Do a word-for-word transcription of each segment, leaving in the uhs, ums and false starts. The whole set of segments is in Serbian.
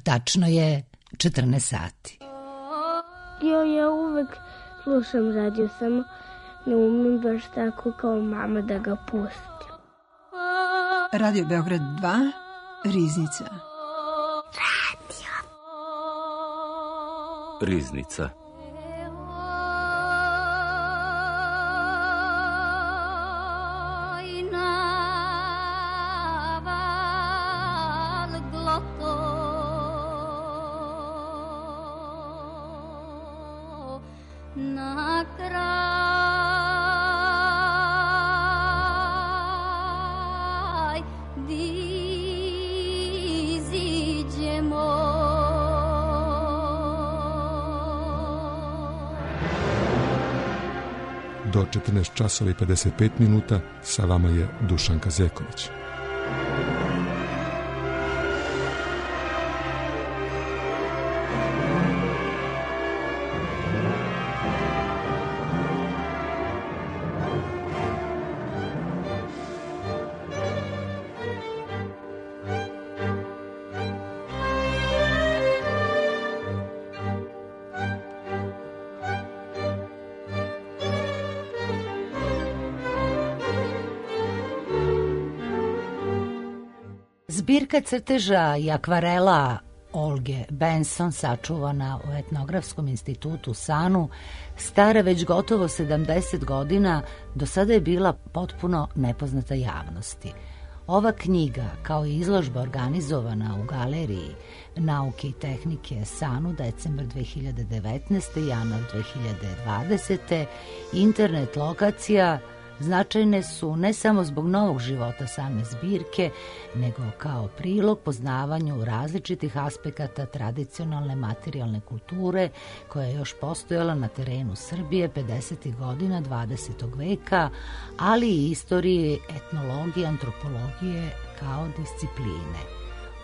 Tačno je četrnaest sati. Jo, ja uvek slušam radio, samo ne umem baš tako kao mama da ga pustim. Radio Beograd dva, Riznica. Radio. Riznica. Do četrnaest časova i pedeset pet minuta sa vama je Dušanka Zeković. Zbirka crteža i akvarela Olge Benson, sačuvana u Etnografskom institutu u Sanu, stara već gotovo sedamdeset godina, do sada je bila potpuno nepoznata javnosti. Ova knjiga, kao i izložba organizovana u Galeriji nauke i tehnike Sanu decembar dve hiljade devetnaeste. januar dve hiljade dvadesete. internet lokacija, značajne su ne samo zbog novog života same zbirke, nego kao prilog poznavanju različitih aspekata tradicionalne materijalne kulture koja je još postojala na terenu Srbije pedesetih godina dvadesetog veka, ali i istorije etnologije, antropologije kao discipline.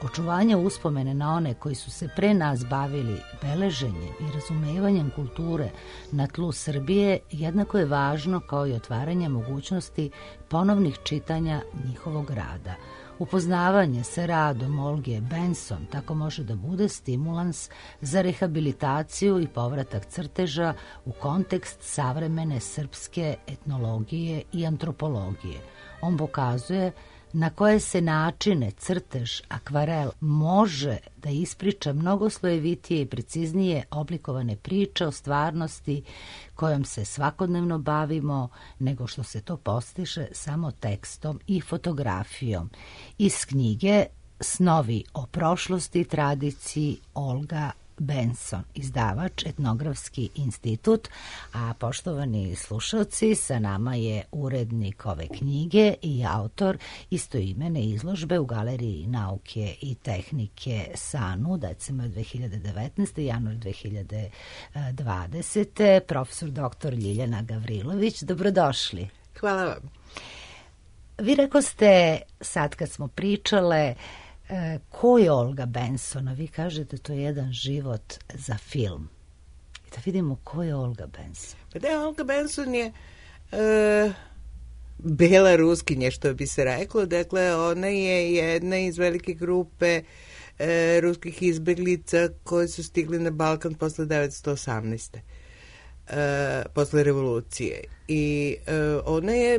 Očuvanje uspomene na one koji su se pre nas bavili beleženjem i razumevanjem kulture na tlu Srbije jednako je važno kao i otvaranje mogućnosti ponovnih čitanja njihovog rada. Upoznavanje sa radom Olge Benson tako može da bude stimulans za rehabilitaciju i povratak crteža u kontekst savremene srpske etnologije i antropologije. On pokazuje na koje se načine crtež, akvarel može da ispriča mnogo slojevitije i preciznije oblikovane priče o stvarnosti kojom se svakodnevno bavimo, nego što se to postiže samo tekstom i fotografijom. Iz knjige Snovi o prošlosti i tradiciji Olga Benson, izdavač Etnografski institut, a poštovani slušalci, sa nama je urednik ove knjige i autor istoimene izložbe u Galeriji nauke i tehnike Sanu decembar dve hiljade devetnaeste. januar dve hiljade dvadesete. profesor doktor Ljiljana Gavrilović. Dobrodošli. Hvala vam. Vi rekoste, sad kad smo pričale, ko je Olga Benson, a vi kažete to je jedan život za film. I da vidimo ko je Olga Benson. Pa da, Olga Benson je e, bela ruskinja, što bi se reklo. Dakle, ona je jedna iz velike grupe e, ruskih izbeglica koji su stigli na Balkan posle devetsto osamnaeste. E, posle revolucije. I e, ona je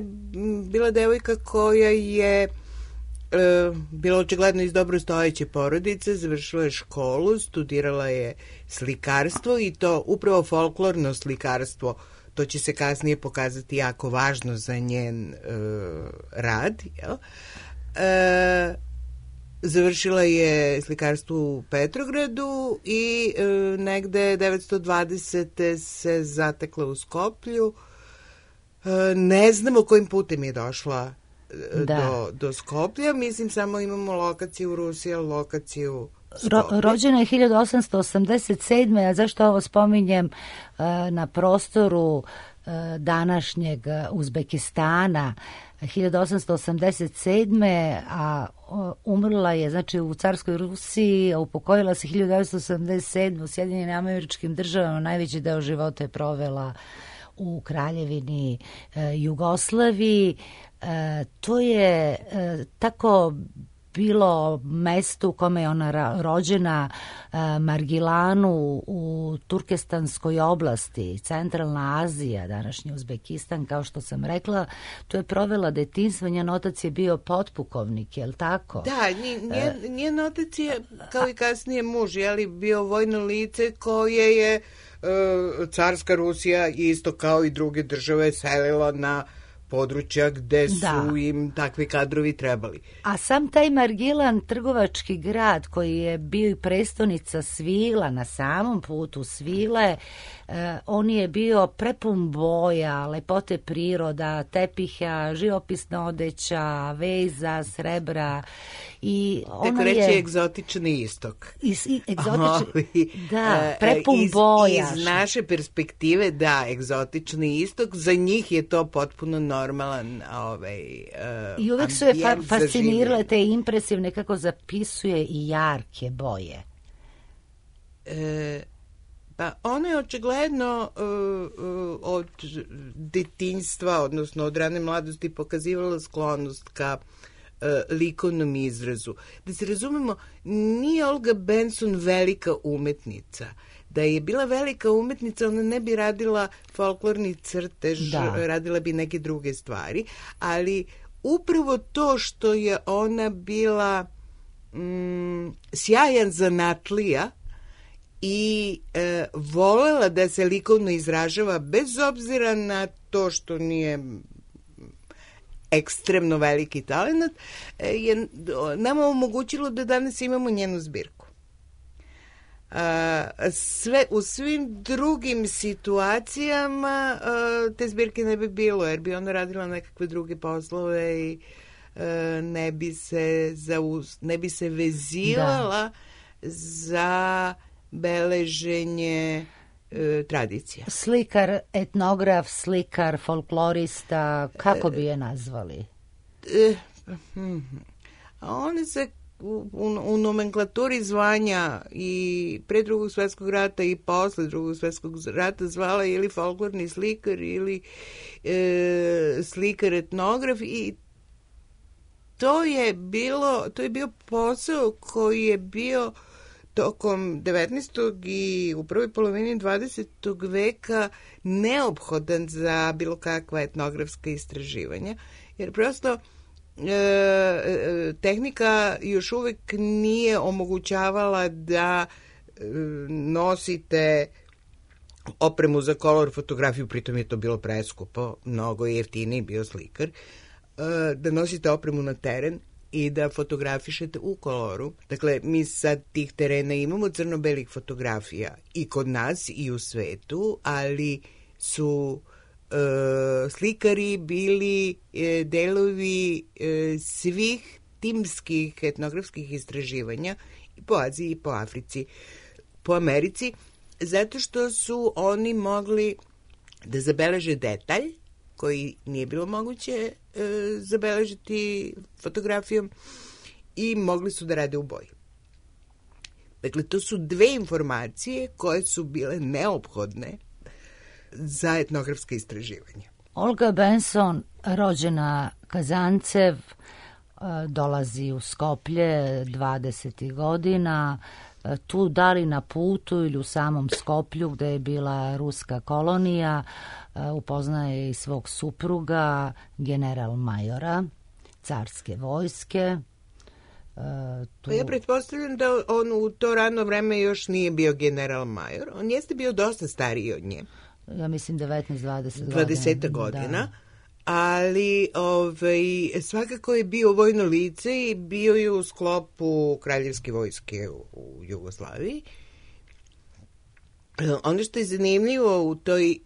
bila devojka koja je E, bila očigledno iz dobro stojeće porodice, završila je školu, studirala je slikarstvo i to upravo folklorno slikarstvo, to će se kasnije pokazati jako važno za njen e, rad. Jel? E, završila je slikarstvo u Petrogradu i e, negde devetsto dvadesete se zatekla u Skoplju. E, ne znamo kojim putem je došla Do, do Skoplja, mislim samo imamo lokaciju u Rusiji, lokaciju Ro, rođena je hiljadu osamsto osamdeset sedme. A zašto ovo spominjem uh, na prostoru uh, današnjeg Uzbekistana hiljadu osamsto osamdeset sedme. a uh, umrla je znači u carskoj Rusiji, a upokojila se hiljadu devetsto osamdeset sedme. u Sjedinjenim Američkim Državama. Najveći deo života je provela u Kraljevini uh, Jugoslaviji. E, to je e, tako bilo mesto u kome je ona rođena, Margilanu u Turkestanskoj oblasti, Centralna Azija, današnji Uzbekistan, kao što sam rekla, tu je provela detinjstvo, njen otac je bio potpukovnik, je li tako? Da, njen, njen otac je, kao i kasnije muž, je li bio vojno lice koje je carska Rusija isto kao i druge države selila na područja gde su da. im takvi kadrovi trebali. A sam taj Margilan, trgovački grad koji je bio i prestonica svila na samom putu svile, eh, on je bio prepun boja, lepote priroda, tepiha, živopisna odeća, veza, srebra i ona tako reći je egzotični istok. Is, i, egzotični, da, prepun iz, boja. Iz naše perspektive, da, egzotični istok, za njih je to potpuno normalan ovaj, uh, i uvek su je fa- fascinirale te impresivne, kako zapisuje, i jarke boje. E, pa ona je očigledno uh, uh, od detinjstva, odnosno od rane mladosti pokazivala sklonost ka uh, likovnom izrazu. Da se razumemo, nije Olga Benson velika umetnica. Da je bila velika umetnica, ona ne bi radila folklorni crtež, da. radila bi neke druge stvari, ali upravo to što je ona bila mm, sjajan zanatlija i e, volela da se likovno izražava bez obzira na to što nije ekstremno veliki talent, je nama omogućilo da danas imamo njenu zbirku. Uh, sve, u svim drugim situacijama uh, te zbirke ne bi bilo, jer bi ona radila nekakve druge poslove i uh, ne bi se zauz, ne bi se vezivala da. za beleženje uh, tradicija. Slikar, etnograf, slikar, folklorista, kako bi je nazvali? Uh, uh, a one se U, u nomenklaturi zvanja i pre drugog svjetskog rata i posle drugog svjetskog rata zvala ili folklorni slikar ili e, slikar etnograf, i to je bilo to je bio posao koji je bio tokom devetnaestog i u prvoj polovini dvadesetog veka neophodan za bilo kakva etnografska istraživanja, jer prosto E, tehnika još uvek nije omogućavala da e, nosite opremu za kolor fotografiju, pritom je to bilo preskupo, mnogo jeftiniji bio slikar, e, da nosite opremu na teren i da fotografišete u koloru. Dakle, mi sad tih terena imamo crno-belih fotografija i kod nas i u svetu, ali su Uh, slikari bili uh, delovi uh, svih timskih etnografskih istraživanja i po Aziji i po Africi, po Americi, zato što su oni mogli da zabeleže detalj koji nije bilo moguće uh, zabeležiti fotografijom i mogli su da rade u boji. Dakle, to su dve informacije koje su bile neophodne za etnografske istraživanja. Olga Benson, rođena Kazancev, dolazi u Skoplje dvadesetih godina, tu da li na putu ili u samom Skoplju gde je bila ruska kolonija, upoznaje i svog supruga, general majora carske vojske. Tu... Pa ja pretpostavljam da on u to rano vreme još nije bio general major. On jeste bio dosta stariji od nje. Ja mislim devetnaest dvadeset godina. dvadeset godina, da. Ali ovaj, svakako je bio vojno lice i bio je u sklopu kraljevske vojske u, u Jugoslaviji. Ono što je zanimljivo u toj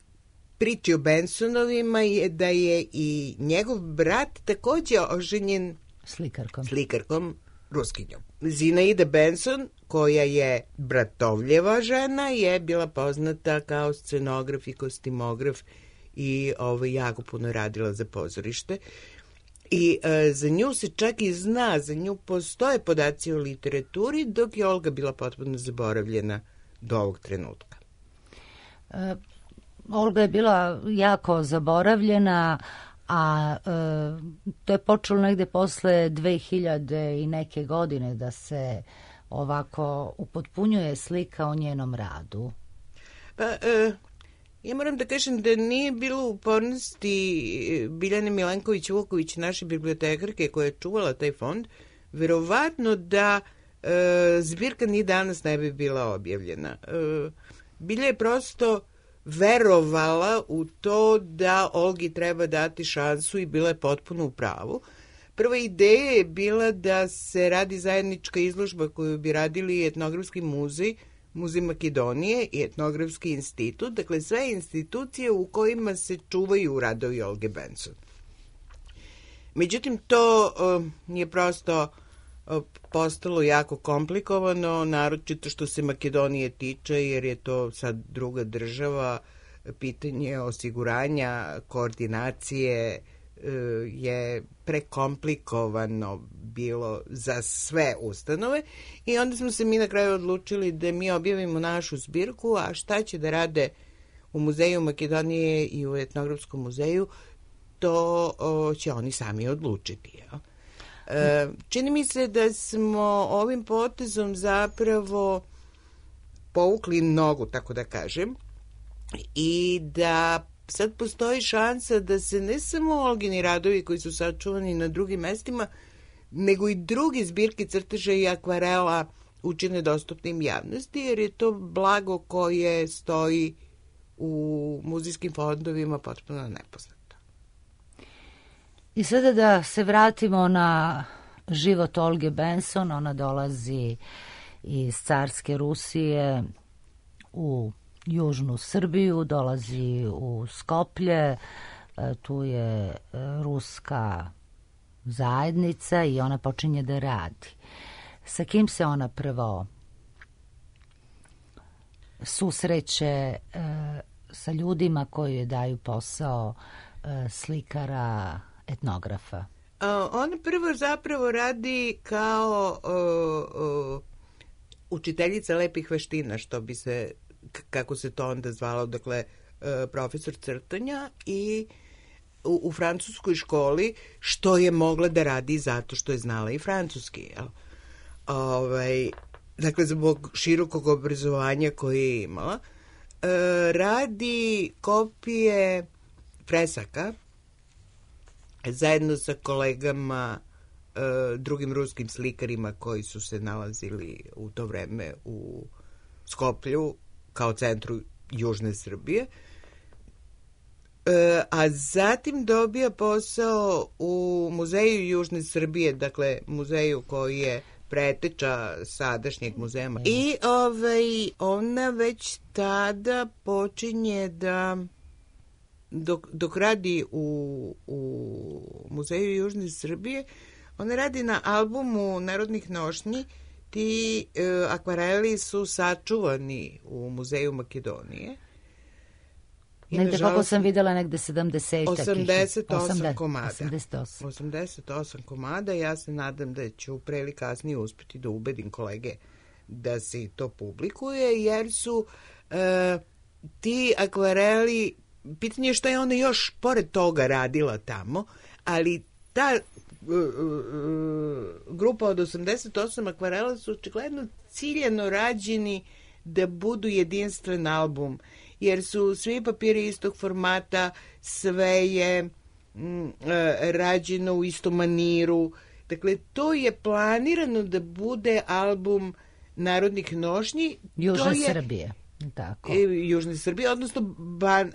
priči o Bensonovima je da je i njegov brat takođe oženjen slikarkom, slikarkom Ruskinjom. Zinaida Benson, koja je bratovljeva žena, je bila poznata kao scenograf i kostimograf i ovo, jako puno radila za pozorište. I e, za nju se čak i zna, za nju postoje podaci o literaturi, dok je Olga bila potpuno zaboravljena do ovog trenutka. E, Olga je bila jako zaboravljena, a e, to je počelo negde posle dve hiljade i neke godine da se ovako upotpunjuje slika o njenom radu. Pa, e, ja moram da kažem da nije bilo upornosti Biljane Milenković-Vuković, naše bibliotekarke koja je čuvala taj fond, verovatno da e, zbirka ni danas ne bi bila objavljena. E, Bilja je prosto verovala u to da Olgi treba dati šansu i bila je potpuno u pravu. Prva ideja je bila da se radi zajednička izložba koju bi radili Etnografski muzej, Muzej Makedonije i Etnografski institut, dakle sve institucije u kojima se čuvaju radovi Olge Benson. Međutim, to uh, je prosto uh, postalo jako komplikovano, naročito što se Makedonije tiče, jer je to sad druga država, pitanje osiguranja, koordinacije uh, je prekomplikovano bilo za sve ustanove i onda smo se mi na kraju odlučili da mi objavimo našu zbirku, a šta će da rade u Muzeju Makedonije i u Etnografskom muzeju, to o, će oni sami odlučiti. Ja? E, čini mi se da smo ovim potezom zapravo povukli nogu, tako da kažem, i da sad postoji šansa da se ne samo Olgini radovi koji su sačuvani na drugim mestima, nego i drugi zbirke crteža i akvarela učine dostupnim javnosti, jer je to blago koje stoji u muzejskim fondovima potpuno nepoznato. I sada da se vratimo na život Olge Benson. Ona dolazi iz carske Rusije u južnu Srbiju, dolazi u Skoplje, tu je ruska zajednica i ona počinje da radi. Sa kim se ona prvo susreće? E, sa ljudima koji joj daju posao e, slikara, etnografa. A, ona prvo zapravo radi kao o, o, učiteljica lepih veština, što bi se, kako se to onda zvalo, dakle, e, profesor crtanja i u, u francuskoj školi, što je mogla da radi zato što je znala i francuski, jel? Ovaj, dakle, zbog širokog obrazovanja koje je imala, e, radi kopije fresaka zajedno sa kolegama, e, drugim ruskim slikarima koji su se nalazili u to vreme u Skoplju kao centru južne Srbije. E, a zatim dobija posao u Muzeju južne Srbije, dakle muzeju koji je preteča sadašnjeg muzeja. I ovaj, ona već tada počinje da dok, dok radi u, u Muzeju južne Srbije, ona radi na albumu Narodnih nošnji. Ti e, akvareli su sačuvani u Muzeju Makedonije. I negde kako sam videla, negde sedamdeset osamdeset osam komada. osamdeset osam. osamdeset osam komada. Ja se nadam da ću pre ili kasnije uspeti da ubedim kolege da se to publikuje, jer su e, ti akvareli, pitanje je što je ona još pored toga radila tamo, ali ta e, e, grupa od osamdeset osam akvarela su očigledno ciljano rađeni da budu jedinstven album, jer su svi papiri istog formata, sve je m, e, rađeno u istom maniru. Dakle, to je planirano da bude album Narodnih nošnji. Južne je, Srbije. Tako. E, Južne Srbije, odnosno ban, e,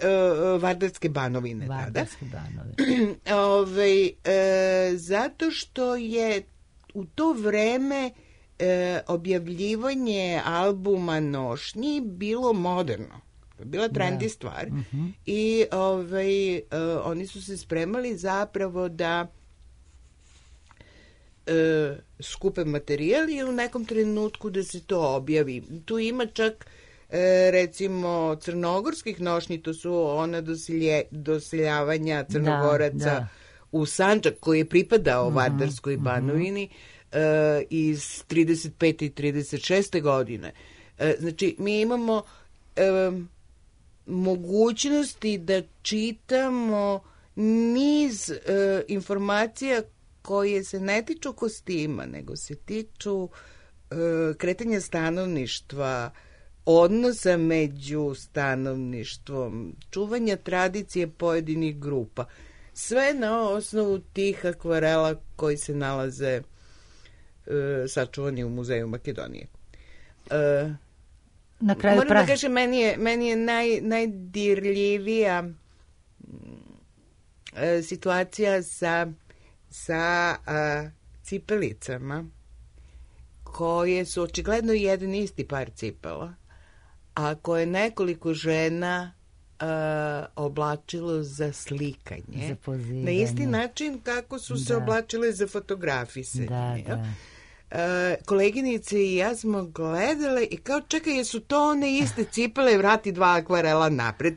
Vardarske banovine. Vardarske banovine. Ove, e, zato što je u to vreme e, objavljivanje albuma nošnji bilo moderno. Bila trendi da. stvar. Uh-huh. I ovaj, uh, oni su se spremali zapravo da uh, skupe materijal i u nekom trenutku da se to objavi. Tu ima čak uh, recimo crnogorskih nošnji, to su ona dosilje, doseljavanja Crnogoraca da, da. u Sandžak koji je pripadao uh-huh. Vardarskoj banovini uh, iz trideset pete i trideset šeste godine. Uh, znači, mi imamo um, mogućnosti da čitamo niz e, informacija koje se ne tiču kostima, nego se tiču e, kretanja stanovništva, odnosa među stanovništvom, čuvanja tradicije pojedinih grupa. Sve na osnovu tih akvarela koji se nalaze e, sačuvani u Muzeju Makedonije. E, na kraju moram pravi. da kažem, meni je, meni je naj, najdirljivija e, situacija sa, sa a, cipelicama koje su očigledno jedan isti par cipela, a koje nekoliko žena uh, oblačilo za slikanje. Za pozivanje. Na isti način kako su se da. oblačile za fotografisanje. Da, da. Uh, koleginice i ja smo gledale i kao, čekaj, jesu to one iste cipele, vrati dva akvarela napred.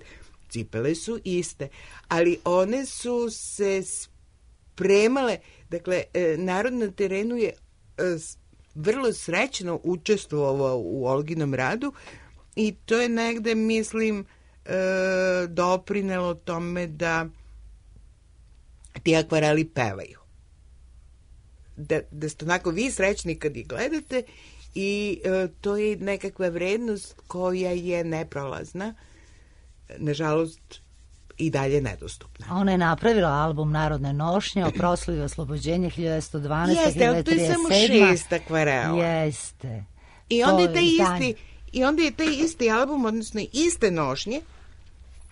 Cipele su iste, ali one su se spremale, dakle, narod na terenu je vrlo srećno učestvovao u Olginom radu i to je negde, mislim, doprinelo tome da ti akvareli pevaju. Da, da ste onako vi srećni kad ih gledate i e, to je nekakva vrednost koja je neprolazna, nažalost i dalje nedostupna. Ona je napravila album Narodne nošnje o proslavi oslobođenja hiljadu devetsto dvanaeste. Jeste, ali to je samo šest akvarela. Jeste. I onda, je taj isti, I onda je taj isti album, odnosno iste nošnje,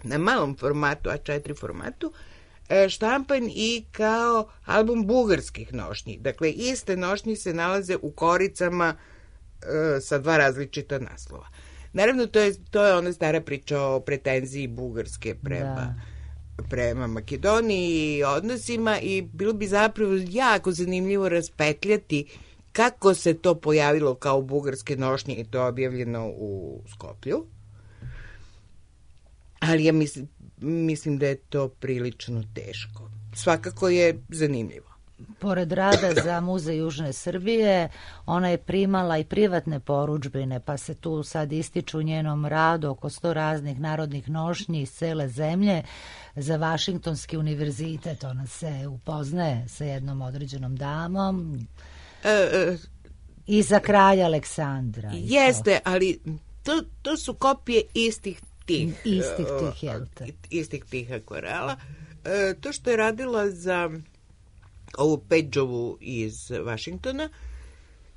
na malom formatu, A četiri formatu, štampan i kao album bugarskih nošnji. Dakle, iste nošnje se nalaze u koricama e, sa dva različita naslova. Naravno, to je, to je ona stara priča o pretenziji Bugarske prema, da. prema Makedoniji i odnosima i bilo bi zapravo jako zanimljivo raspetljati kako se to pojavilo kao bugarske nošnje i to je objavljeno u Skoplju. Ali ja mislim, mislim da je to prilično teško. Svakako je zanimljivo. Pored rada za Muzej Južne Srbije, ona je primala i privatne porudžbine, pa se tu sad ističu u njenom radu oko sto raznih narodnih nošnji iz cele zemlje. Za Vašingtonski univerzitet ona se upoznaje sa jednom određenom damom. E, e, I za kralja Aleksandra. Jeste, ali to, to su kopije istih tih. Istih tih, jel'te? Istih tih akvarela. E, to što je radila za ovu Pageovu iz Vašingtona,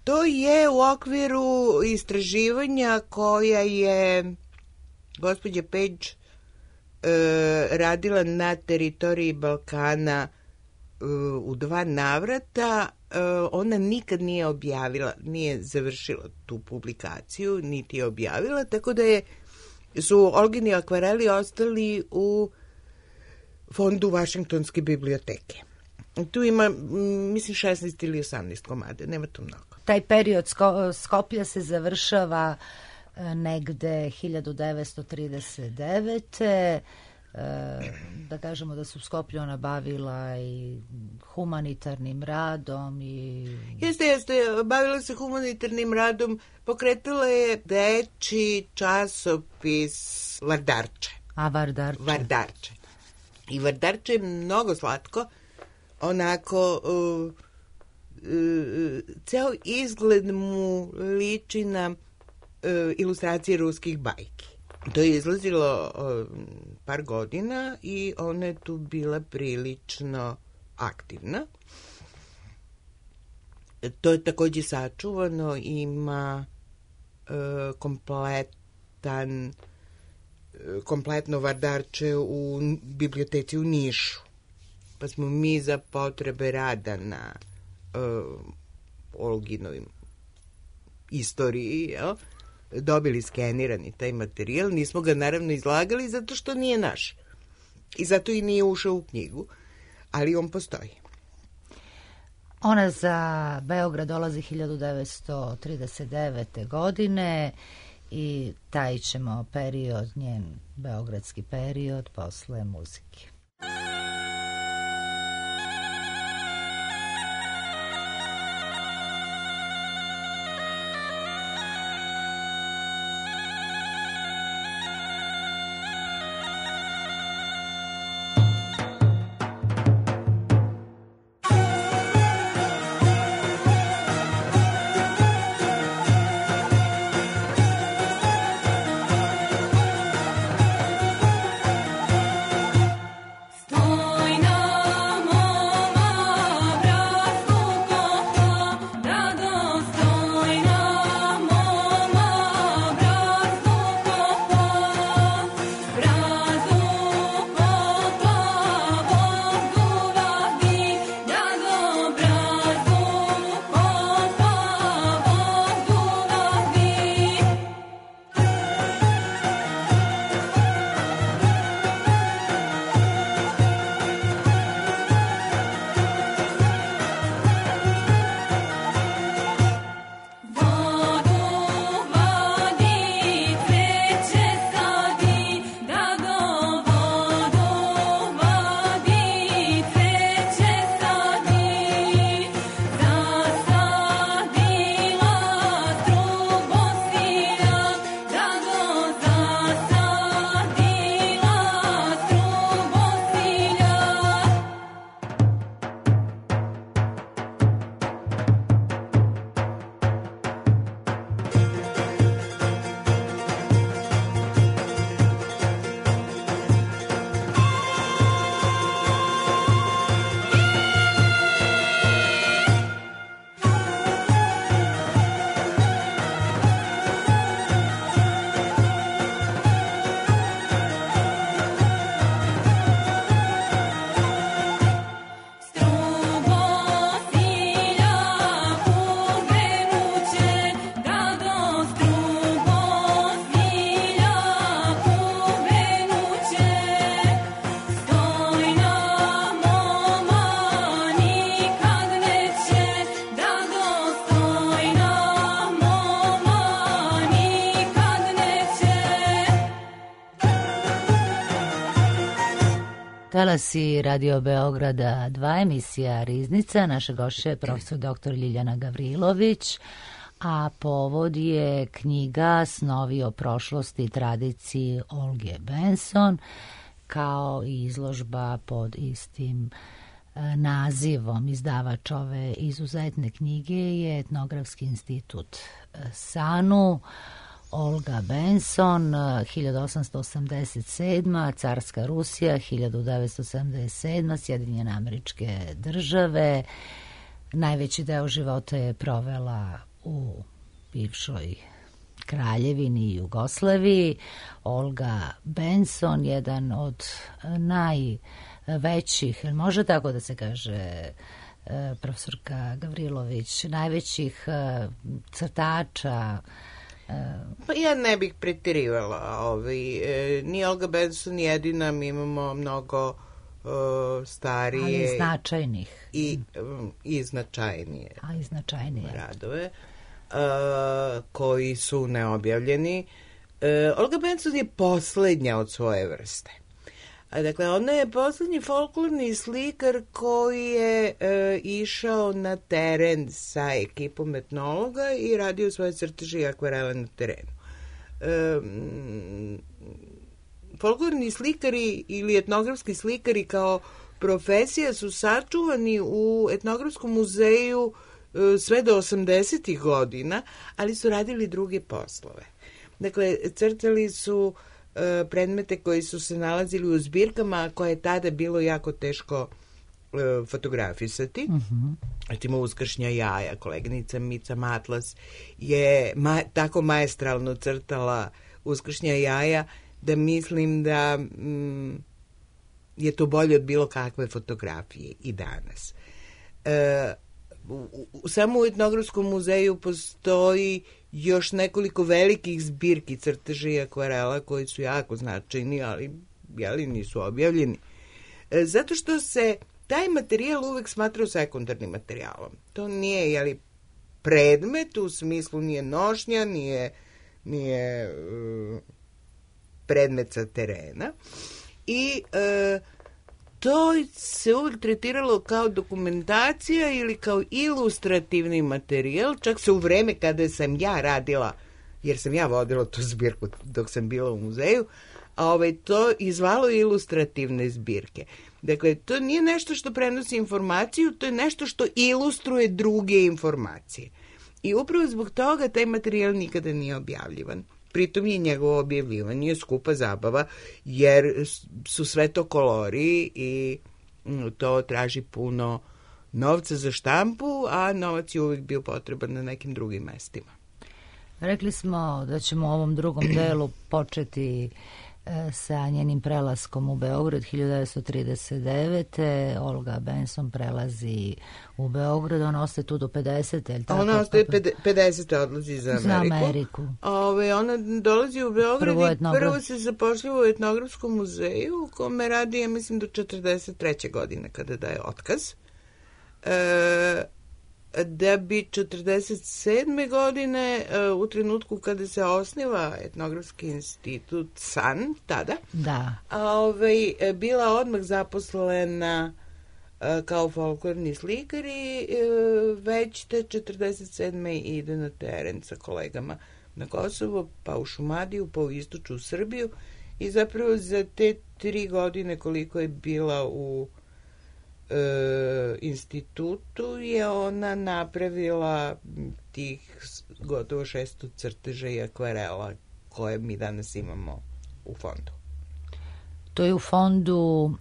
to je u okviru istraživanja koja je gospođa Page e, radila na teritoriji Balkana e, u dva navrata. E, ona nikad nije objavila, nije završila tu publikaciju, niti je objavila, tako da je, su Olgini akvareli ostali u fondu Vašingtonske biblioteke. Tu ima, mislim, šesnaest ili osamnaest komade, nema tu mnogo. Taj period Sko- Skoplja se završava negde hiljadu devetsto trideset devete. Da kažemo da su Skoplju ona bavila i humanitarnim radom. I... Jeste, jeste, bavila se humanitarnim radom, pokretala je deči časopis Vardarče. A Vardarče? Vardarče. I Vardarče je mnogo slatko, onako, uh, uh, ceo izgled mu liči na uh, ilustracije ruskih bajki. To je izlazilo uh, par godina i ona je tu bila prilično aktivna. To je takođe sačuvano, ima uh, kompletan, uh, kompletno Vardarče u biblioteci u Nišu. Pa smo mi za potrebe rada na uh, Olginovim istoriji, jel, dobili skenirani taj materijal. Nismo ga naravno izlagali zato što nije naš. I zato i nije ušao u knjigu, ali on postoji. Ona za Beograd dolazi hiljadu devetsto trideset devete. godine i taj ćemo period, njen beogradski period, posle muzike. Talasi Radio Beograda dva, emisija Riznica. Naša gošća je profesor doktor Ljiljana Gavrilović, a povod je knjiga Snovi o prošlosti i tradiciji Olge Benson, kao i izložba pod istim nazivom. Izdavač ove izuzetne knjige je Etnografski institut SANU. Olga Benson, hiljadu osamsto osamdeset sedma, Carska Rusija, hiljadu devetsto sedamdeset sedma, Sjedinjene Američke Države. Najveći deo života je provela u bivšoj Kraljevini i Jugoslaviji. Olga Benson, jedan od najvećih, može tako da se kaže, profesorka Gavrilović, najvećih crtača. Pa ja ne bih pretirivala. Ovaj, e, ni Olga Benson jedina, mi imamo mnogo uh, starije. Ali značajnih. I, um, i značajnije. A i značajnije. Radove uh, koji su neobjavljeni. Uh, Olga Benson je poslednja od svoje vrste. A, dakle, ona je poslednji folklorni slikar koji je e, išao na teren sa ekipom etnologa i radio svoje crteže i akvarele na terenu. E, folklorni slikari ili etnografski slikari kao profesija su sačuvani u etnografskom muzeju e, sve do osamdesetih godina, ali su radili druge poslove. Dakle, crtali su predmete koji su se nalazili u zbirkama koje je tada bilo jako teško e, fotografisati. Mm-hmm. Recimo Uskršnja jaja, koleginica Mica Matlas je ma, tako maestralno crtala Uskršnja jaja da mislim da mm, je to bolje od bilo kakve fotografije i danas. E, u, u, samo u etnografskom muzeju postoji još nekoliko velikih zbirki crteža i akvarela koji su jako značajni, ali jeli, nisu objavljeni. E, zato što se taj materijal uvek smatrao sekundarnim materijalom. To nije jeli, predmet, u smislu nije nošnja, nije, nije uh, predmet sa terena. I uh, to se uvek tretiralo kao dokumentacija ili kao ilustrativni materijal, čak se u vreme kada sam ja radila, jer sam ja vodila tu zbirku dok sam bila u muzeju, a ovaj, to izvalo ilustrativne zbirke. Dakle, to nije nešto što prenosi informaciju, to je nešto što ilustruje druge informacije. I upravo zbog toga taj materijal nikada nije objavljivan. Pritom je njegovo objavljivanje skupa zabava, jer su sve to kolori i to traži puno novca za štampu, a novac je uvijek bio potreban na nekim drugim mestima. Rekli smo da ćemo u ovom drugom delu početi sa njenim prelaskom u Beograd hiljadu devetsto trideset devete. Olga Benson prelazi u Beograd, ona ostaje tu do pedesete. Je li tako? Ona ostaje pedesete, odlazi za Ameriku. Za Ameriku. Ove, ona dolazi u Beograd prvo i prvo se zapošljava u etnografskom muzeju, u kome radi, ja mislim, do četrdeset treće godine kada daje otkaz. E, da bi četrdeset sedme godine, u trenutku kada se osniva etnografski institut SAN, tada, da. Ovaj, bila odmah zaposlena kao folklorni slikar i već te četrdeset sedme ide na teren sa kolegama na Kosovo, pa u Šumadiju, pa u istočnu Srbiju i zapravo za te tri godine koliko je bila u E, institutu je ona napravila tih gotovo šesto crteža i akvarela koje mi danas imamo u fondu. To je u fondu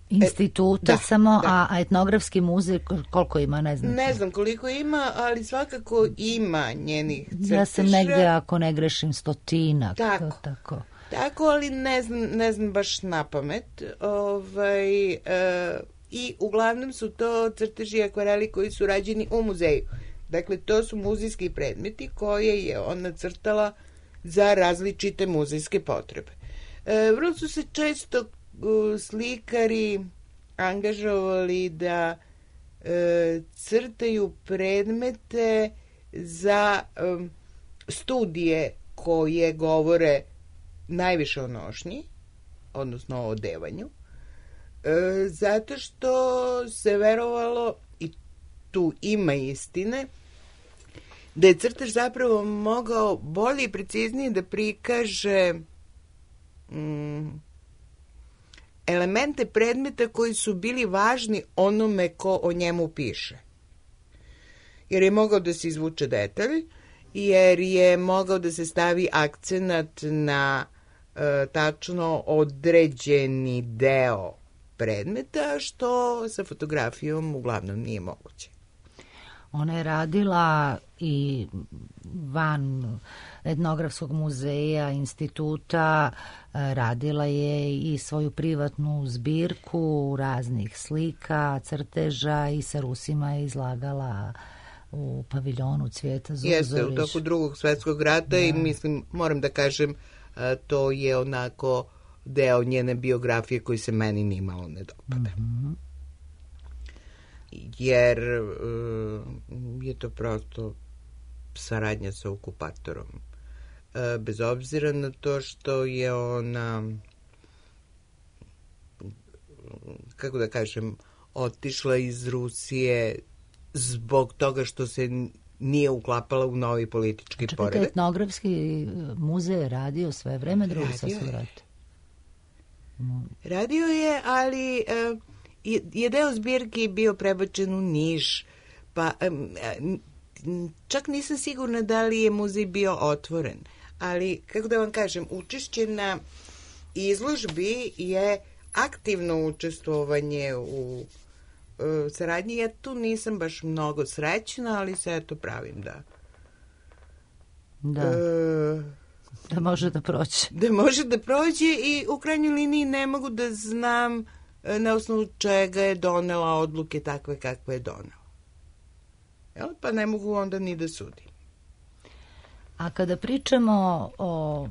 instituta e, da, samo, da. A, a etnografski muzej koliko ima, ne znam. Ne znam koliko ima, ali svakako ima njenih crteža. Ja sam negde, ako ne grešim, stotinak. Tako. Tako. Tako, ali ne znam, ne znam baš na pamet. Ovaj, e, I uglavnom su to crteži i akvareli koji su rađeni u muzeju. Dakle, to su muzejski predmeti koje je ona crtala za različite muzejske potrebe. E, vrlo su se često uh, slikari angažovali da e, crtaju predmete za um, studije koje govore najviše o nošnji, odnosno o odevanju. E, zato što se verovalo, i tu ima istine, da je crtež zapravo mogao bolje i preciznije da prikaže mm, elemente predmeta koji su bili važni onome ko o njemu piše. Jer je mogao da se izvuče detalj, jer je mogao da se stavi akcenat na e, tačno određeni deo predmeta, što sa fotografijom uglavnom nije moguće. Ona je radila i van etnografskog muzeja, instituta, radila je i svoju privatnu zbirku raznih slika, crteža i sa Rusima je izlagala u paviljonu Cvijeta Zuzorić. Jeste, u toku drugog svetskog rata, da. I mislim, moram da kažem, to je onako deo njene biografije koji se meni nimalo ne dopada. Mm-hmm. Jer uh, je to prosto saradnja sa okupatorom. Uh, bez obzira na to što je ona, kako da kažem, otišla iz Rusije zbog toga što se nije uklapala u novi politički Čekajte, poredak. Etnografski muzej je radio sve vreme drugog svetskog rata. Radio je, ali uh, je, je deo zbirki bio prebačen u Niš, pa um, čak nisam sigurna da li je muzej bio otvoren, ali kako da vam kažem, učešće na izložbi je aktivno učestvovanje u uh, saradnji. Ja tu nisam baš mnogo srećna, ali se eto pravim da da uh, da može da prođe. Da može da prođe i u krajnjoj liniji ne mogu da znam na osnovu čega je donela odluke takve kakve je donela. Jel? Pa ne mogu onda ni da sudim. A kada pričamo o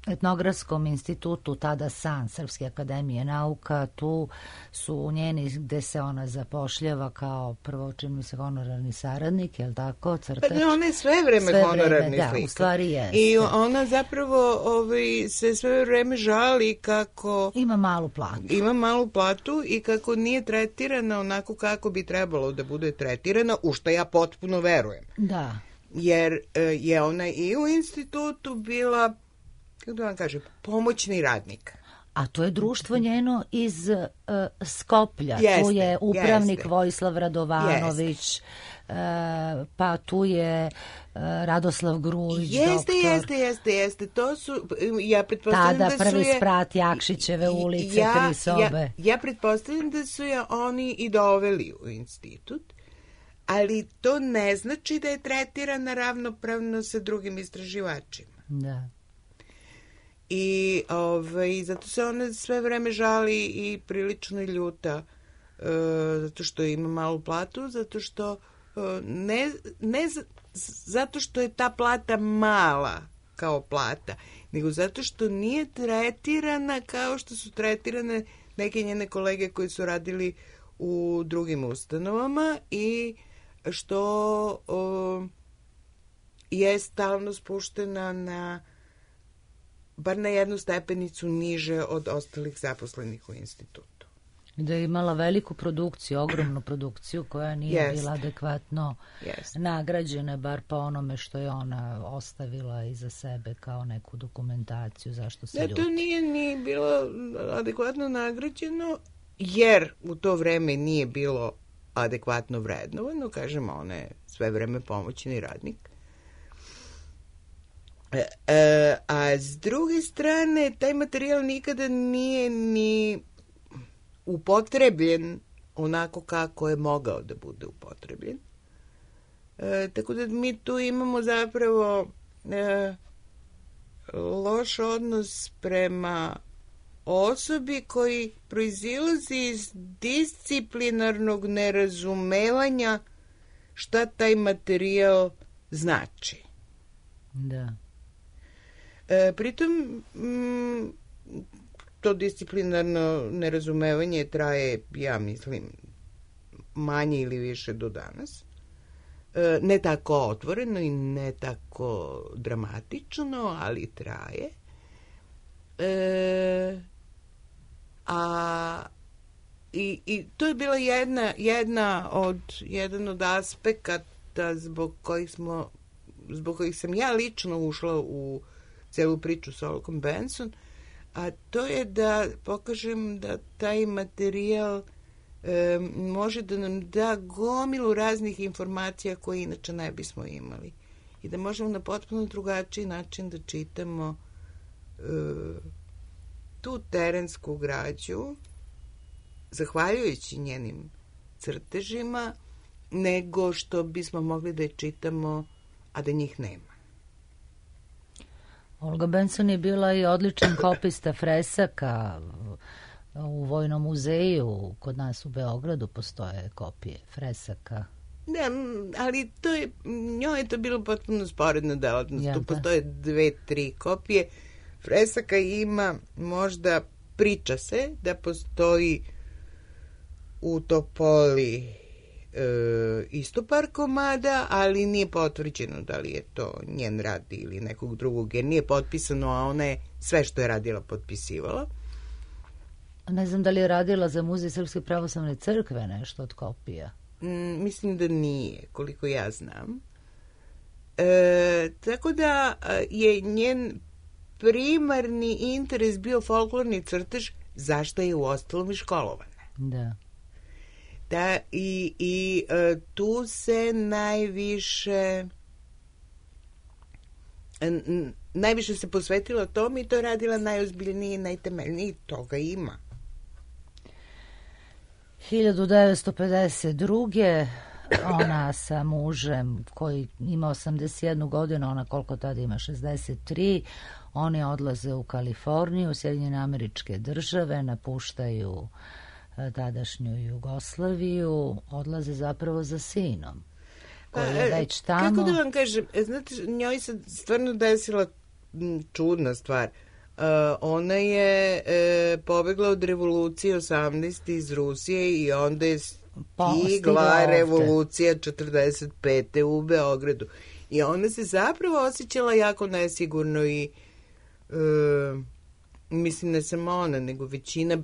etnografskom institutu, tada SAN, Srpske akademije nauka, tu su njeni gde se ona zapošljava kao prvo čini se honorarni saradnik, je li tako? Crtač? Pa ona je sve vreme sve honorarni vreme, slika. Da, u stvari je. I ona zapravo ovaj, se sve vreme žali kako ima malu platu. Ima malu platu i kako nije tretirana onako kako bi trebalo da bude tretirana, u što ja potpuno verujem. Da. Jer je ona i u institutu bila, kako da vam kažem, pomoćni radnik. A to je društvo njeno iz uh, Skoplja. Jeste, tu je upravnik jeste. Vojislav Radovanović, uh, pa tu je uh, Radoslav Grujić, jeste, doktor. Jeste, jeste, jeste. To su, ja pretpostavljam tada da su prvi je... sprat Jakšićeve ulice, ja, tri sobe. Ja, ja pretpostavljam da su je oni i doveli u institut, ali to ne znači da je tretirana ravnopravno sa drugim istraživačima. Da. I ovaj, zato se ona sve vreme žali i prilično ljuta, e, zato što ima malu platu, zato što e, ne, ne z, zato što je ta plata mala kao plata, nego zato što nije tretirana kao što su tretirane neke njene kolege koji su radili u drugim ustanovama i što o, je stalno spuštena na bar na jednu stepenicu niže od ostalih zaposlenih u institutu. Da je imala veliku produkciju, ogromnu produkciju koja nije yes. bila adekvatno yes. nagrađena, bar po onome što je ona ostavila iza sebe kao neku dokumentaciju, zašto se ljuti. Da, to nije ni bilo adekvatno nagrađeno, jer u to vreme nije bilo adekvatno vrednovano, kažemo, ona je sve vreme pomoćni radnik. E, e, a s druge strane, taj materijal nikada nije ni upotrebljen onako kako je mogao da bude upotrebljen. E, tako da mi tu imamo zapravo e, loš odnos prema osobi koji proizilazi iz disciplinarnog nerazumevanja šta taj materijal znači. Da. E, pritom, m, to disciplinarno nerazumevanje traje, ja mislim, manje ili više do danas. E, ne tako otvoreno i ne tako dramatično, ali traje. E, a i, i to je bila jedna, jedna od, jedan od aspekata zbog kojih smo, zbog kojih sam ja lično ušla u celu priču sa Olgom Benson, a to je da pokažem da taj materijal e, može da nam da gomilu raznih informacija koje inače ne bismo imali. I da možemo na potpuno drugačiji način da čitamo e, tu terensku građu, zahvaljujući njenim crtežima, nego što bismo mogli da je čitamo, a da njih nema. Olga Benson je bila i odličan kopista fresaka. U Vojnom muzeju kod nas u Beogradu postoje kopije fresaka. Da, ali to je, njoj je to bilo potpuno sporedna delatnost. Ja, tu da. postoje dve, tri kopije. Fresaka ima, možda priča se da postoji u Topoli e, isto par komada, ali nije potvrđeno da li je to njen rad ili nekog drugog, jer nije potpisano, a ona je sve što je radila potpisivala. Ne znam da li je radila za Muzej Srpske pravoslavne crkve nešto od kopija. Mm, mislim da nije, koliko ja znam. E, tako da je njen primarni interes bio folklorni crtež, zašto je u ostalom i školovana. Da. Da, i, i e, tu se najviše n, najviše se posvetila tom i to je radila najozbiljnije i najtemeljnije, toga ima. hiljadu devetsto pedeset druge ona sa mužem koji ima osamdeset jednu godinu, ona koliko tada ima, šezdeset tri, oni odlaze u Kaliforniju, Sjedinjene Američke Države, napuštaju tadašnju Jugoslaviju, odlaze zapravo za sinom koji je već tamo. Kako da vam kažem, znate, njoj se stvarno desila čudna stvar. Uh, ona je e, pobegla od revolucije osamnaeste iz Rusije i onda je stigla revolucija četrdeset pete u Beogradu. I ona se zapravo osjećala jako nesigurno i e, mislim ne samo ona, nego većina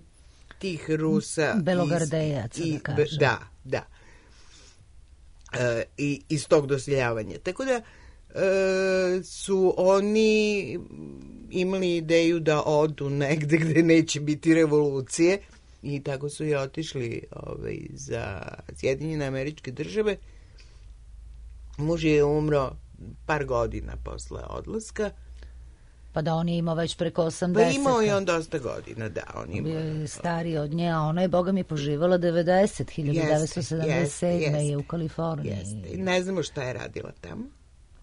tih Rusa Belogardejaca, iz, da kažem. Da, da. E, i, iz tog doseljavanja. Tako da e, su oni imali ideju da odu negde gde neće biti revolucije i tako su i otišli ovaj, za Sjedinjene Američke Države. Muž je umro par godina posle odlaska. Pa da on je imao već preko osamdeset. Pa imao je on dosta godina, da. On imao. Bio je stariji od nje, a ona je, boga mi, poživala devedeset, hiljadu devetsto sedamdeset sedme Jeste, je u Kaliforniji. Jeste. Ne znamo šta je radila tamo,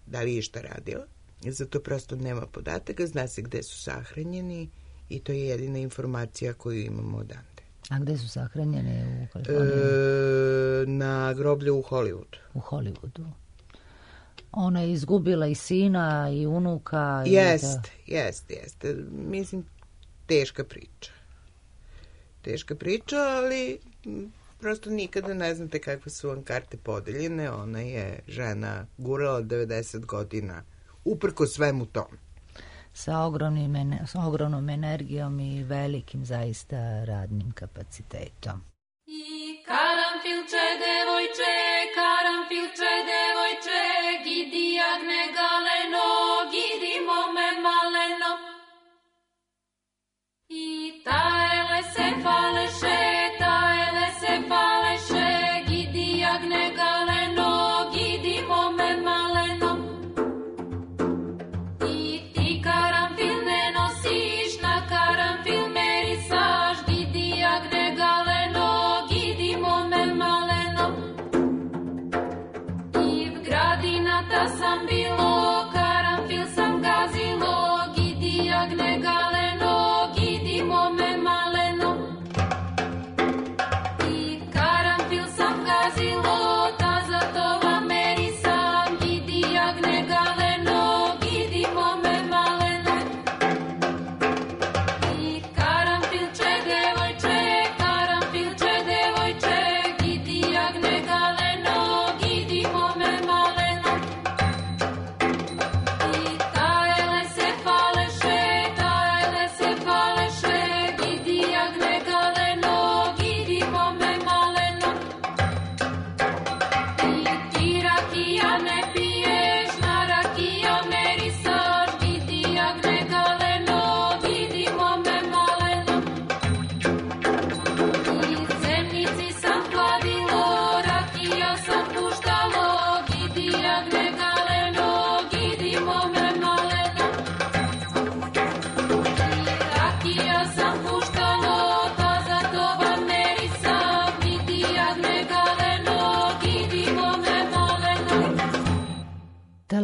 da li je šta radila, zato prosto nema podataka, zna se gde su sahranjeni i to je jedina informacija koju imamo odande. A gde su sahranjeni u Kaliforniji? E, na groblju u Hollywoodu. U Hollywoodu. Ona je izgubila i sina i unuka. Jeste, jeste, jeste. Mislim, teška priča. Teška priča, ali prosto nikada ne znate kakve su vam karte podeljene. Ona je žena gurala devedeset godina uprko svemu tom. Sa ogromnim, sa ogromnom energijom i velikim zaista radnim kapacitetom. I karanfilče, devojče, karanfilče, devojče, gidi jagne galeno, gidi mome maleno. I taele se faleše, taele se faleše, gidi jagne galeno, gidi mome maleno. I ti karanfil ne nosiš, na karanfil merisaš, gidi jagne galeno, gidi mome maleno. I v gradinata sam bilo, karanfil sam gazilo, gidi jagne galeno, gidi mome maleno. I karanfil sam gazilo, ta za to vam merisam, gidi jagne galeno, gidi mome maleno. I karanfilče, devojče, karanfilče, devojče, gidi jagne galeno, gidi mome maleno.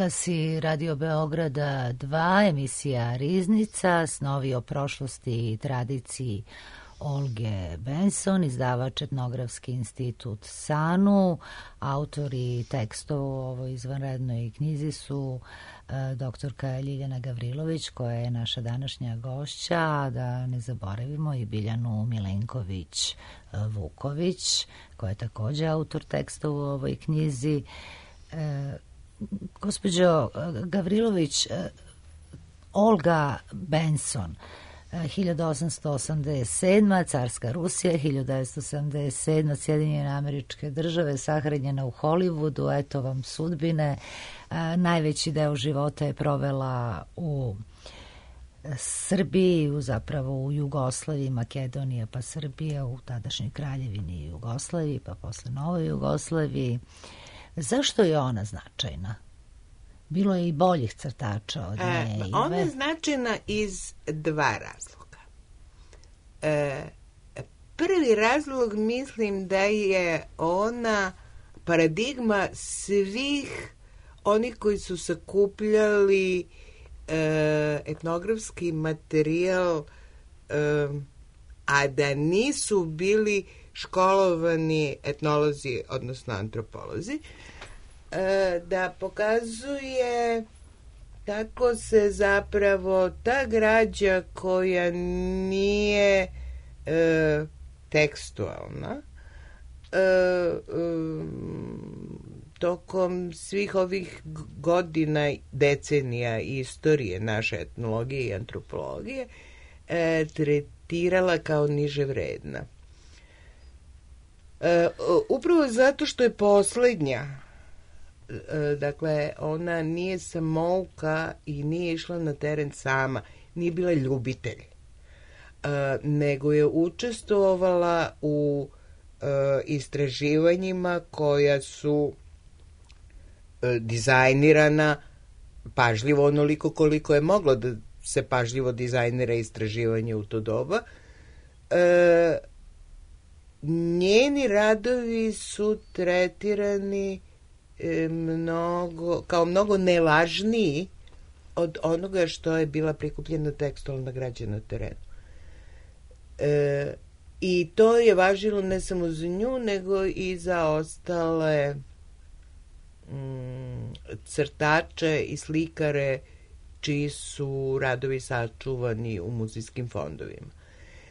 talassi Radio Beograda dva, emisija Riznica, snovi o prošlosti i tradiciji Olge Benson, izdavač Etnografski institut SANU. Autori tekstova u ovoj izvanrednoj knjizi su e, doktorka Ljiljana Gavrilović, koja je naša današnja gošća, a da ne zaboravimo i Biljanu Milenković Vuković, koja je također autor tekstova u ovoj knjizi. E, gospođo Gavrilović, e, Olga Benson, hiljadu osamsto osamdeset sedma. Carska Rusija, hiljadu devetsto sedamdeset sedma. Sjedinjene Američke Države, sahranjena u Hollywoodu, eto vam sudbine. E, najveći deo života je provela u Srbiji, u, zapravo u Jugoslaviji, Makedonija pa Srbija, u tadašnjoj kraljevini Jugoslaviji, pa posle Novoj Jugoslaviji. Zašto je ona značajna? Bilo je i boljih crtača od nje. E, ona je značajna iz dva razloga. E, prvi razlog, mislim da je ona paradigma svih onih koji su sakupljali e, etnografski materijal, e, a da nisu bili školovani etnolozi, odnosno antropolozi, da pokazuje kako se zapravo ta građa koja nije e, tekstualna e, e, tokom svih ovih godina, decenija istorije naše etnologije i antropologije e, tretirala kao niže vredna. E, upravo zato što je poslednja, dakle, ona nije samouka i nije išla na teren sama, nije bila ljubitelj, nego je učestvovala u istraživanjima koja su dizajnirana pažljivo, onoliko koliko je moglo da se pažljivo dizajnira istraživanje u to doba. Njeni radovi su tretirani mnogo, kao mnogo nevažniji od onoga što je bila prikupljena tekstualna građa na terenu. E, I to je važilo ne samo za nju, nego i za ostale mm, crtače i slikare čiji su radovi sačuvani u muzejskim fondovima.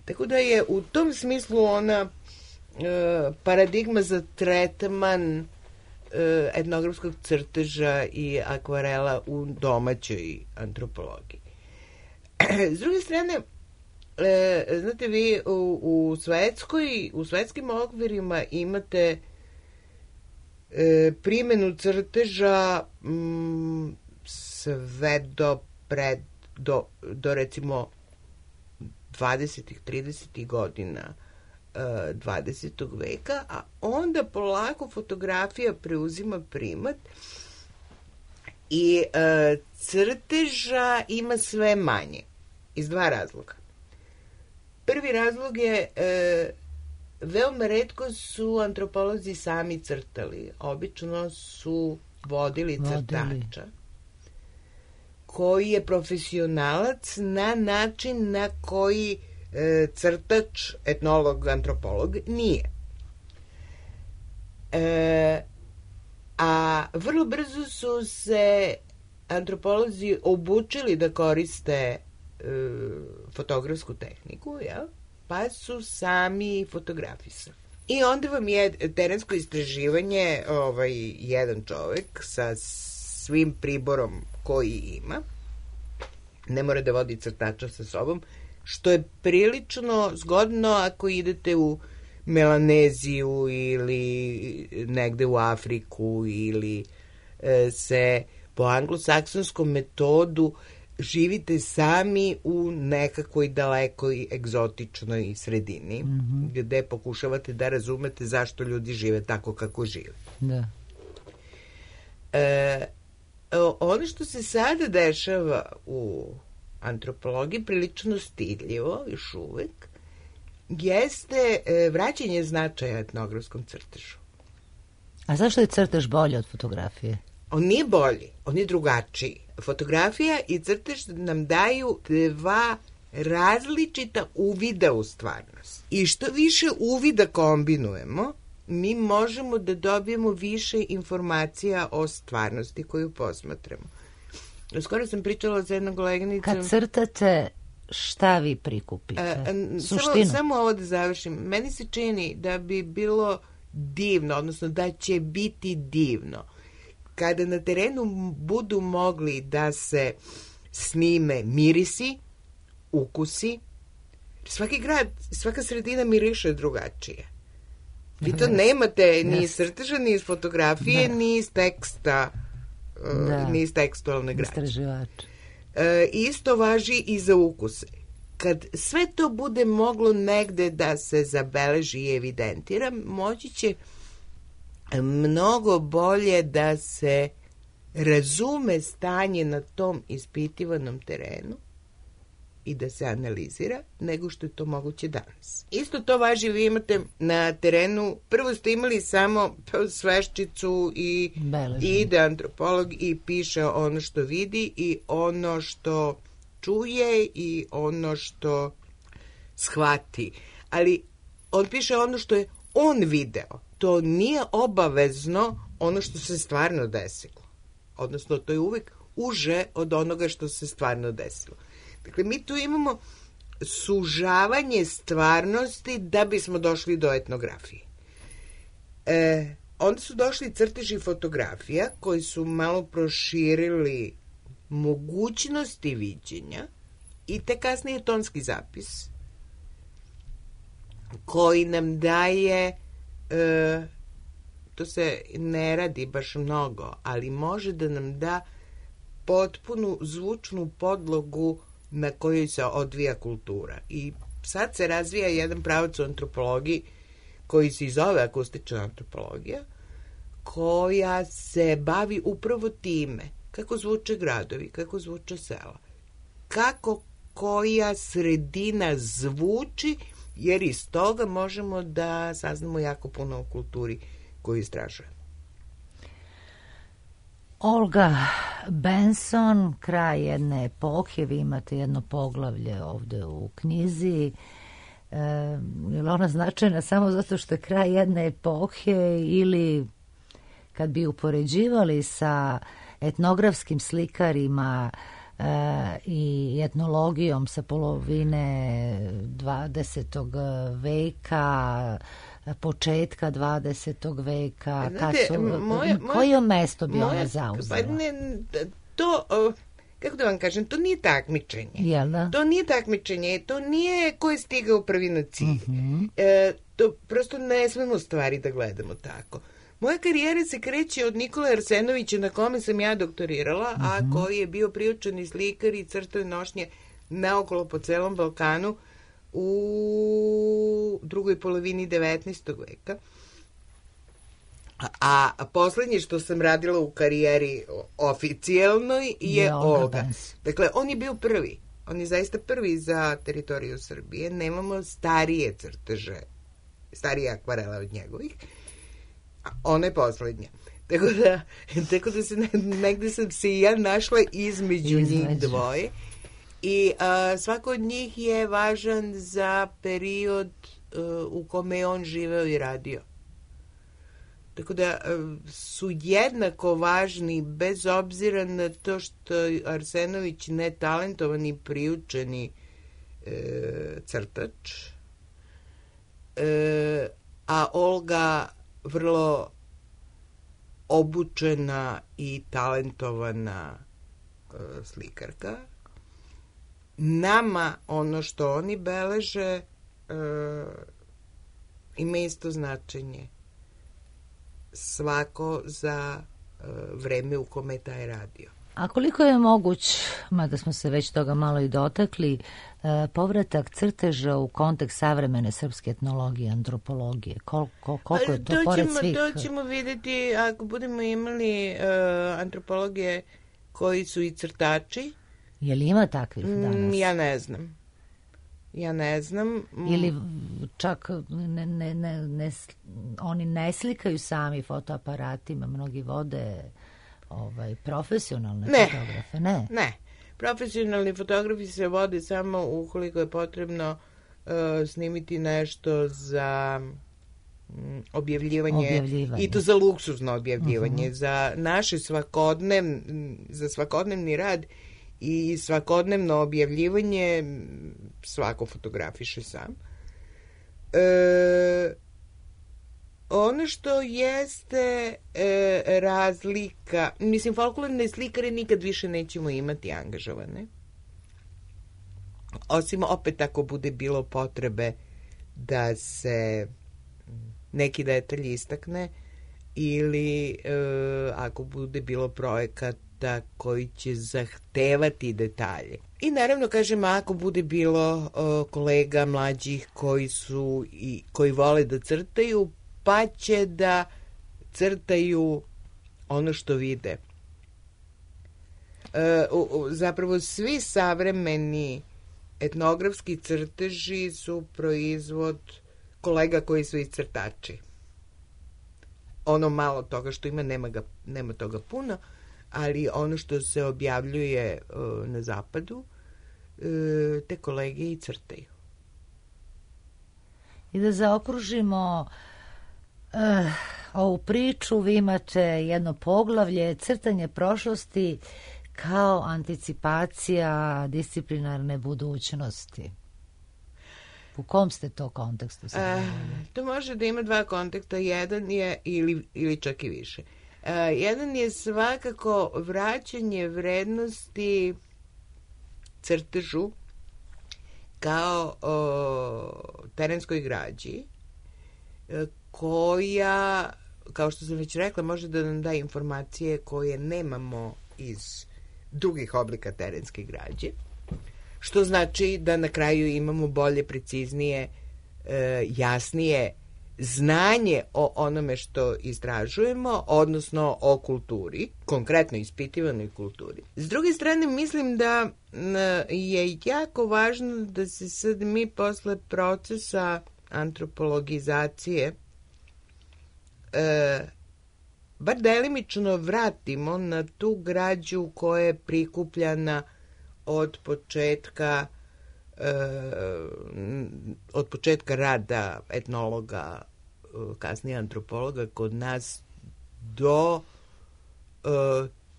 Tako da je u tom smislu ona e, paradigma za tretman etnografskog crteža i akvarela u domaćoj antropologiji. S druge strane, e, znate, vi u, u svetskoj, u svetskim okvirima imate e, primjenu crteža m, sve do pred, do, do recimo dvadesetih, tridesetih godina dvadesetog veka, a onda polako fotografija preuzima primat i e, crteža ima sve manje iz dva razloga. Prvi razlog je e, veoma retko su antropolozi sami crtali, obično su vodili, vodili crtača koji je profesionalac na način na koji crtač, etnolog, antropolog nije. E, a vrlo brzo su se antropolozi obučili da koriste e, fotografsku tehniku, ja? Pa su sami fotografisali. I onda vam je terensko istraživanje, ovaj, jedan čovek sa svim priborom koji ima, ne mora da vodi crtača sa sobom, što je prilično zgodno ako idete u Melaneziju ili negde u Afriku ili e, se po anglosaksonskom metodu živite sami u nekakvoj dalekoj egzotičnoj sredini, mm-hmm. gde pokušavate da razumete zašto ljudi žive tako kako žive. Da. E, ono što se sada dešava u antropologiji, prilično stidljivo, još uvek, jeste vraćanje značaja etnografskom crtežu. A zašto je crtež bolje od fotografije? On nije bolji, on je drugačiji. Fotografija i crtež nam daju dva različita uvida u stvarnost. I što više uvida kombinujemo, mi možemo da dobijemo više informacija o stvarnosti koju posmatramo. Skoro sam pričala sa jednom koleginicom... Kad crtate, šta vi prikupite? A, Suštinu? Samo, samo ovo da završim. Meni se čini da bi bilo divno, odnosno da će biti divno, kada na terenu budu mogli da se snime mirisi, ukusi. Svaki grad, svaka sredina miriše drugačije. Vi to nemate ni iz crteža, ni iz fotografije, ni iz teksta, da. ni iz tekstualne građe. E, isto važi i za ukuse. Kad sve to bude moglo negde da se zabeleži i evidentira, moći će mnogo bolje da se razume stanje na tom ispitivanom terenu i da se analizira, nego što je to moguće danas. Isto to važi, vi imate na terenu, prvo ste imali samo sveščicu i Beležen. Ide antropolog i piše ono što vidi i ono što čuje i ono što shvati. Ali on piše ono što je on video. To nije obavezno ono što se stvarno desilo. Odnosno, to je uvek uže od onoga što se stvarno desilo. Dakle, mi tu imamo sužavanje stvarnosti da bismo došli do etnografije. E, onda su došli crteži fotografija koji su malo proširili mogućnosti viđenja i te kasnije tonski zapis koji nam daje, e, to se ne radi baš mnogo, ali može da nam da potpunu zvučnu podlogu na kojoj se odvija kultura. I sad se razvija jedan pravac u antropologiji koji se zove akustična antropologija, koja se bavi upravo time kako zvuče gradovi, kako zvuče sela, kako koja sredina zvuči, jer iz toga možemo da saznamo jako puno o kulturi koju istražujemo. Olga Benson, kraj jedne epohe, vi imate jedno poglavlje ovde u knjizi. E, je li ona značajna samo zato što je kraj jedne epohe ili kad bi upoređivali sa etnografskim slikarima e, i etnologijom sa polovine dvadesetog veka, početka dvadesetog veka, kad su, moja, koje mesto bi moja, ona zauzela? Pa ne, to, kako da vam kažem, to nije takmičenje. Jel da? To nije takmičenje, to nije ko je stigao prvi na cilj. Uh-huh. E, to prosto ne smemo stvari da gledamo tako. Moja karijera se kreće od Nikole Arsenovića, na kome sam ja doktorirala, uh-huh. a koji je bio priučeni slikar i crtao nošnje naokolo po celom Balkanu u drugoj polovini devetnaestog veka. A, a poslednje što sam radila u karijeri oficijalnoj je, je Olga. Dakle, on je bio prvi. On je zaista prvi za teritoriju Srbije. Nemamo starije crteže, starije akvarela od njegovih. A ona je poslednja. Tako da, tako da se ne, negde sam se i ja našla između, između. njih dvoje. I a, svako od njih je važan za period a, u kome je on živeo i radio. Tako da a, su jednako važni bez obzira na to što Arsenović netalentovani priučeni e, crtač, e, a Olga vrlo obučena i talentovana e, slikarka. Nama ono što oni beleže e, ima isto značenje. Svako za e, vreme u kome je taj radio. A koliko je moguć, mada smo se već toga malo i dotakli, e, povratak crteža u kontekst savremene srpske etnologije, antropologije? Koliko, koliko je to, to pored ćemo, svih? To ćemo vidjeti ako budemo imali e, antropologije koji su i crtači. Je li ima takvih danas? Ja ne znam. Ja ne znam. Ili čak ne, ne, ne, ne, oni ne slikaju sami fotoaparatima, mnogi vode ovaj, profesionalne ne, fotografe? Ne, ne. Profesionalni fotografi se vode samo ukoliko je potrebno uh, snimiti nešto za um, objavljivanje, objavljivanje i to za luksuzno objavljivanje, uh-huh. za naše svakodnev, za svakodnevni rad i svakodnevno objavljivanje svako fotografiše sam. E, ono što jeste e, razlika, mislim, folklorne slikare nikad više nećemo imati angažovane. Osim opet ako bude bilo potrebe da se neki detalj istakne ili e, ako bude bilo projekata koji će zahtevati detalje. I naravno, kažem, ako bude bilo o, kolega mlađih koji su i koji vole da crtaju, pa će da crtaju ono što vide. E, u, u, zapravo svi savremeni etnografski crteži su proizvod kolega koji su i crtači. Ono malo toga što ima, nema, ga, nema toga puno, ali ono što se objavljuje uh, na zapadu, uh, te kolege i crtaju. I da zaokružimo uh, ovu priču, vi imate jedno poglavlje, crtanje prošlosti kao anticipacija disciplinarne budućnosti. U kom ste to kontekstu? Uh, to može da ima dva konteksta. Jedan je, ili, ili čak i više. Uh, jedan je svakako vraćanje vrednosti crtežu kao o, terenskoj građi, koja, kao što sam već rekla, može da nam da informacije koje nemamo iz drugih oblika terenske građe, što znači da na kraju imamo bolje, preciznije, e, jasnije znanje o onome što istražujemo, odnosno o kulturi, konkretno ispitivanoj kulturi. S druge strane, mislim da je jako važno da se sad mi posle procesa antropologizacije e, bar delimično vratimo na tu građu koja je prikupljana od početka od početka rada etnologa, kasnije antropologa kod nas do uh,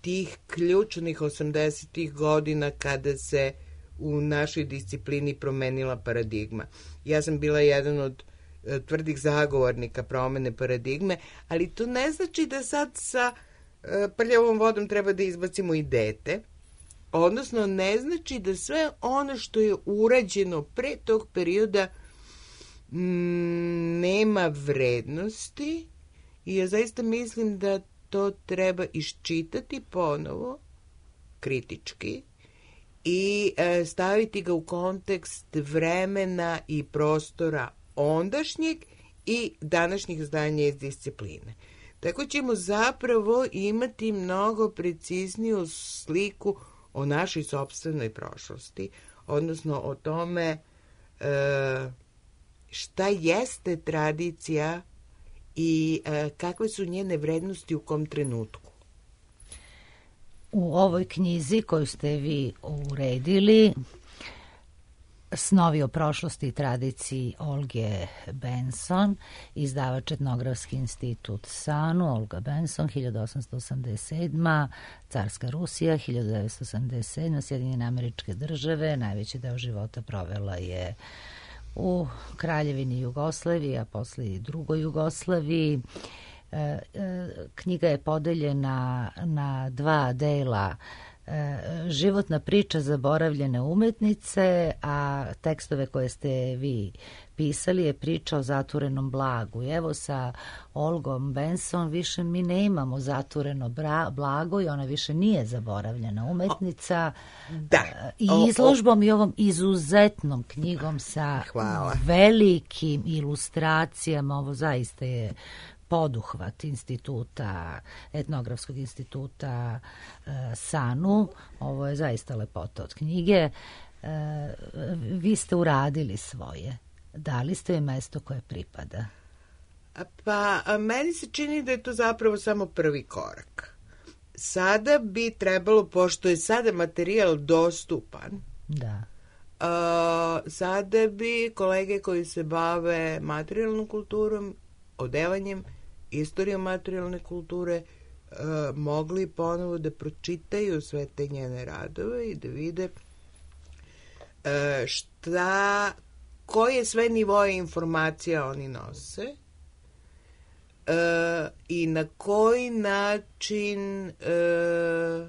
tih ključnih osamdesetih godina kada se u našoj disciplini promenila paradigma. Ja sam bila jedan od uh, tvrdih zagovornika promene paradigme, ali to ne znači da sad sa uh, prljavom vodom treba da izbacimo i dete. Odnosno, ne znači da sve ono što je urađeno pre tog perioda m, nema vrednosti i ja zaista mislim da to treba iščitati ponovo, kritički, i e, staviti ga u kontekst vremena i prostora ondašnjeg i današnjih zdanja iz discipline. Tako ćemo zapravo imati mnogo precizniju sliku o našoj sopstvenoj prošlosti, odnosno o tome e, šta jeste tradicija i e, kakve su njene vrednosti u kom trenutku. U ovoj knjizi koju ste vi uredili, Snovi o prošlosti i tradiciji Olge Benson, izdavač Etnografski institut SANU, Olga Benson, hiljadu osamsto osamdeset sedma, Carska Rusija, hiljadu devetsto osamdeset sedma, Sjedinjene Američke Države, najveći deo života provela je u Kraljevini Jugoslaviji, a posle i drugoj Jugoslaviji. E, e, knjiga je podeljena na dva dela, životna priča zaboravljene umetnice, a tekstove koje ste vi pisali je priča o zaturenom blagu. I evo sa Olgom Benson više mi ne imamo zatureno bra, blago i ona više nije zaboravljena umetnica. Da. I izložbom i ovom izuzetnom knjigom sa Hvala. Velikim ilustracijama, ovo zaista je poduhvat instituta, etnografskog instituta e, SANU. Ovo je zaista lepota od knjige. E, vi ste uradili svoje. Dali ste joj mesto koje pripada. Pa, a meni se čini da je to zapravo samo prvi korak. sada bi trebalo, pošto je sada materijal dostupan, Da. Uh, sada bi kolege koji se bave materijalnom kulturom, odevanjem, istorijom materijalne kulture, uh, mogli ponovo da pročitaju sve te njene radove i da vide uh, šta, koje sve nivoje informacija oni nose uh, i na koji način uh,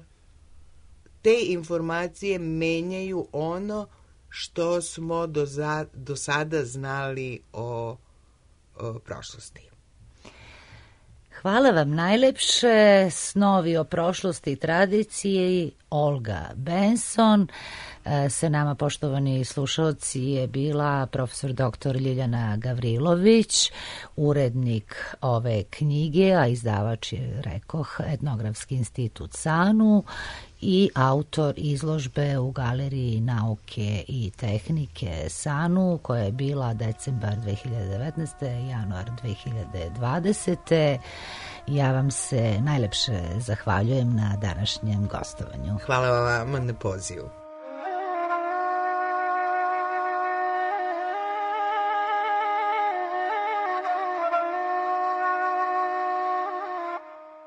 te informacije menjaju ono što smo do, za, do sada znali o, o prošlosti. Hvala vam najlepše. Snovi o prošlosti i tradiciji, Olga Benson. Sa nama, poštovani slušalci, je bila profesor doktor Ljiljana Gavrilović, urednik ove knjige, a izdavač je, rekoh, Etnografski institut SANU i autor izložbe u Galeriji nauke i tehnike SANU, koja je bila decembar dve hiljade devetnaeste. januar dve hiljade dvadesete. Ja vam se najlepše zahvaljujem na današnjem gostovanju. Hvala vam na pozivu.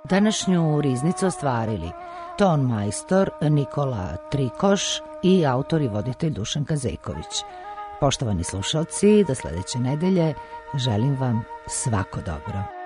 Današnju riznicu ostvarili ton majstor Nikola Trikoš i autor i voditelj Dušan Kazejković. Poštovani slušalci, do sledeće nedelje želim vam svako dobro.